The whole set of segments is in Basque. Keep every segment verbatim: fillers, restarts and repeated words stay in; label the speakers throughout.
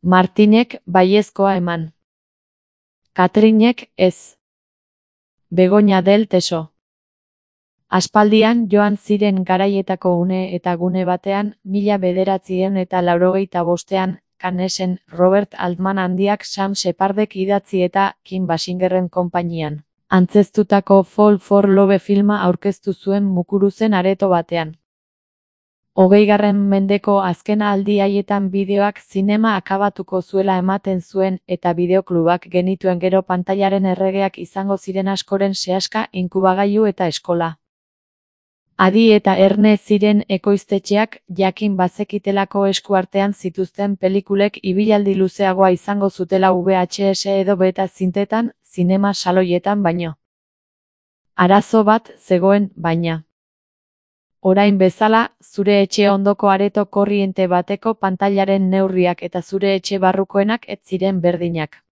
Speaker 1: Martinek baiezkoa eman. Katrinek ez. Begoña del Teso. Aspaldian joan ziren garaietako une eta gune batean, mila bederatziehun eta laurogeita bostean, Cannesen, Robert Altman handiak Sam Shepardek idatzi eta Kim Basingerren konpainian antzeztutako Fall for Love filma aurkeztu zuen Mukuruzen areto batean. Hogeigarren mendeko azken aldi haietan bideoak zinema akabatuko zuela ematen zuen eta bideoklubak genituen gero pantailaren erregeak izango ziren askoren sehaska inkubagailu eta eskola. Adi eta erne ziren ekoiztetxeak jakin bazekitelako eskuartean zituzten pelikulek ibilaldi luzeagoa izango zutela V H S edo beta zintetan, zinema saloietan baino. Arazo bat zegoen, baina. Orain bezala, zure etxe ondoko areto korriente bateko pantailaren neurriak eta zure etxe barrukoenak ez ziren berdinak.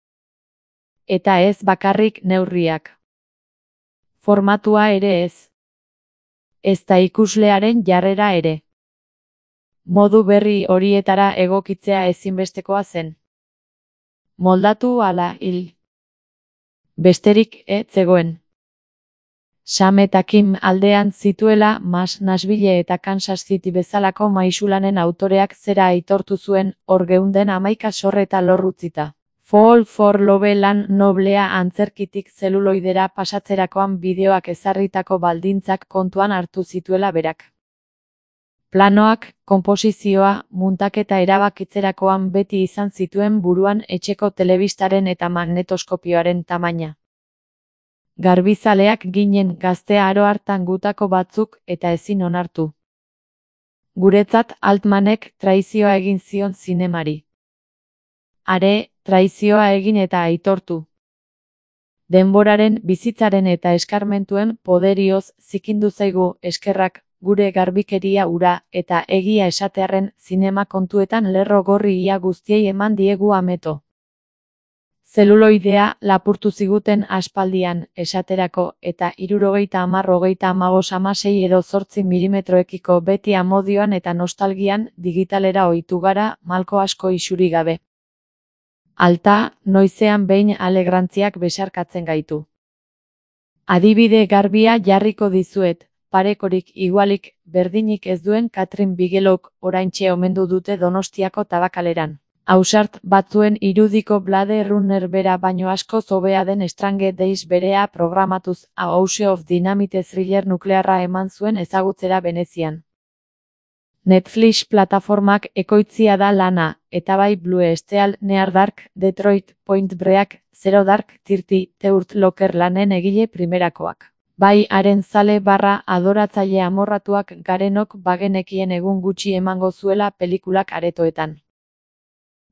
Speaker 1: Eta ez bakarrik neurriak. Formatua ere ez. Ezta ikuslearen jarrera ere. Modu berri horietara egokitzea ezinbestekoa zen. Moldatu ala hil. Besterik ez zegoen. Sam eta Kim aldean zituela Mas Nashville eta Kansas City bezalako maisulanen autoreak zera aitortu zuen, hor geunden hamaika sorreta lorrutzita. Fall for Love lan noblea antzerkitik zeluloidera pasatzerakoan bideoak ezarritako baldintzak kontuan hartu zituela berak. Planoak, konposizioa, muntaketa erabakitzerakoan beti izan zituen buruan etxeko telebistaren eta magnetoskopioaren tamaina. Garbizaleak ginen gaztea aro hartan gutako batzuk eta ezin onartu. Guretzat Altmanek traizioa egin zion zinemari. Are, traizioa egin eta aitortu. Denboraren, bizitzaren eta eskarmentuen poderioz zikindu zaigu eskerrak gure garbikeria ura eta egia esatearren zinema kontuetan lerro gorri ia guztiei eman diegu ameto. Zeluloidea lapurtu ziguten aspaldian esaterako eta hirurogeita hamar hogeita hamabost hamasei edo zortzi milimetroekiko beti amodioan eta nostalgian digitalera ohitu gara malko asko isuri gabe. Alta, noizean behin alegrantziak besarkatzen gaitu. Adibide garbia jarriko dizuet, parekorik igualik berdinik ez duen Katrin Bigelowk oraintxe omendu dute Donostiako tabakaleran. Ausart batzuen irudiko Blade Runner bera baino asko hobea den Strange Days berea programatuz A House of Dynamite thriller nuklearra eman zuen ezagutzera Venezian. Netflix plataformak ekoitzia da lana, eta bai Blue Steel, Near Dark, Detroit, Point Break, Zero Dark, Thirty, Teurt Locker lanen egile primerakoak. Bai haren zale barra adoratzaile amorratuak garenok bagenekien egun gutxi emango zuela pelikulak aretoetan.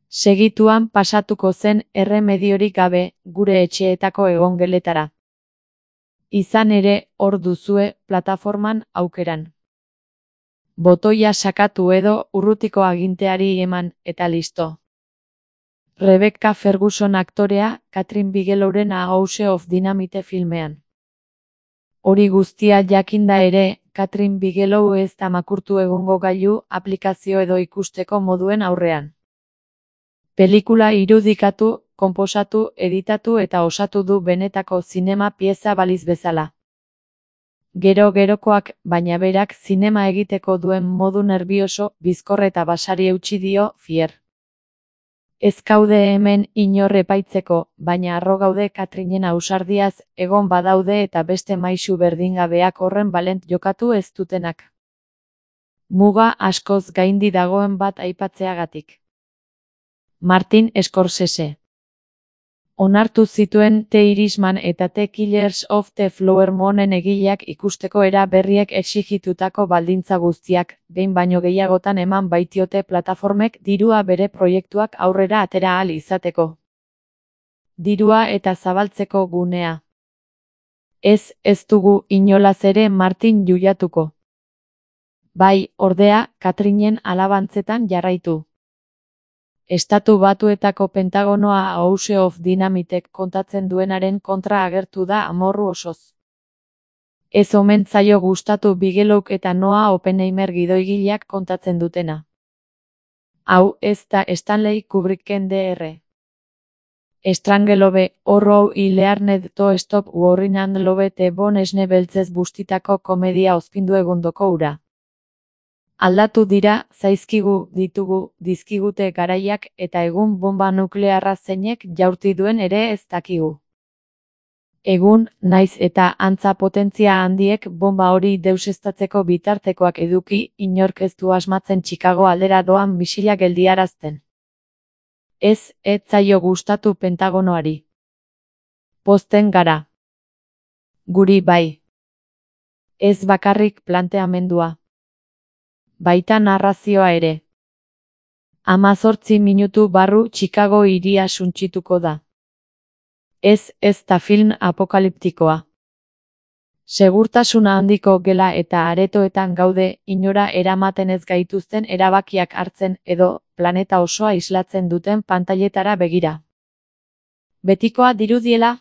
Speaker 1: Segituan pasatuko zen erremediorik gabe gure etxeetako egongeletara. Izan ere, hor duzue plataforman aukeran. Botoia sakatu edo urrutiko aginteari eman eta listo. Rebecca Ferguson aktorea, Katrin Bigelowren A House of Dynamite filmean. Hori guztia jakinda ere, Katrin Bigelow ez da makurtu egongo gailu aplikazio edo ikusteko moduen aurrean. Pelikula irudikatu, konposatu, editatu eta osatu du benetako zinema pieza baliz bezala. Gero-gerokoak, baina berak zinema egiteko duen modu nerbioso, bizkor eta basari eutsi dio, fier. Ez gaude hemen inor epaitzeko, baina harro gaude Katrinen ausardiaz, egon badaude eta beste maisu berdingabeak horren balent jokatu ez dutenak. Muga askoz gaindi dagoen bat aipatzeagatik. Martin Scorsese. Onartu zituen The Irishman eta The Killers of the Flower Moonen egileak ikusteko era berriek exigitutako baldintza guztiak, behin baino gehiagotan eman baitiote plataformek dirua bere proiektuak aurrera atera ahal izateko. Dirua eta zabaltzeko gunea. Ez, ez dugu inolaz ere Martin juliatuko. Bai, ordea, Katrinen alabantzetan jarraitu. Estatu Batuetako Pentagonoa A House of Dynamitek kontatzen duenaren kontra agertu da amorru osoz. Ez omen zaio gustatu Bigelowk eta Noah Oppenheimer gidoigileak kontatzen dutena. Hau ez da Stanley Kubricken dr. Strangelove, horrou ilearned to stop worrying and love the bon esne beltzez bustitako komedia ozpindu egundoko ura. Aldatu dira, zaizkigu, ditugu, dizkigute garaiak eta egun bomba nuklearra zeinek jaurti duen ere ez dakigu. Egun, naiz eta antza potentzia handiek bomba hori deuseztatzeko bitartekoak eduki, inork ez du asmatzen Chicago aldera doan misila geldiarazten. Ez, ez zaio gustatu Pentagonoari. Pozten gara. Guri bai. Ez bakarrik planteamendua. Baita narrazioa ere. Hamazortzi minutu barru Chicago hiria suntsituko da. Ez, ez da film apokaliptikoa. Segurtasuna handiko gela eta aretoetan gaude, inora eramaten ez gaituzten erabakiak hartzen edo planeta osoa islatzen duten pantailetara begira. Betikoa dirudiela?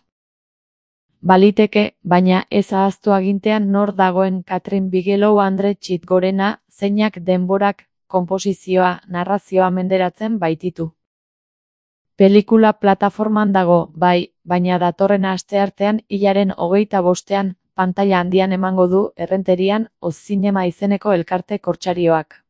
Speaker 1: Baliteke, baina ez ahaztu agintean nor dagoen Katrin Bigelow Andre Txitgorena, zeinak denborak, konposizioa, narrazioa menderatzen baititu. Pelikula plataforman dago, bai, baina datorren asteartean hilaren hogeita bostean, pantaila handian emango du Errenterian Oz Zinema izeneko elkarte kortsarioak.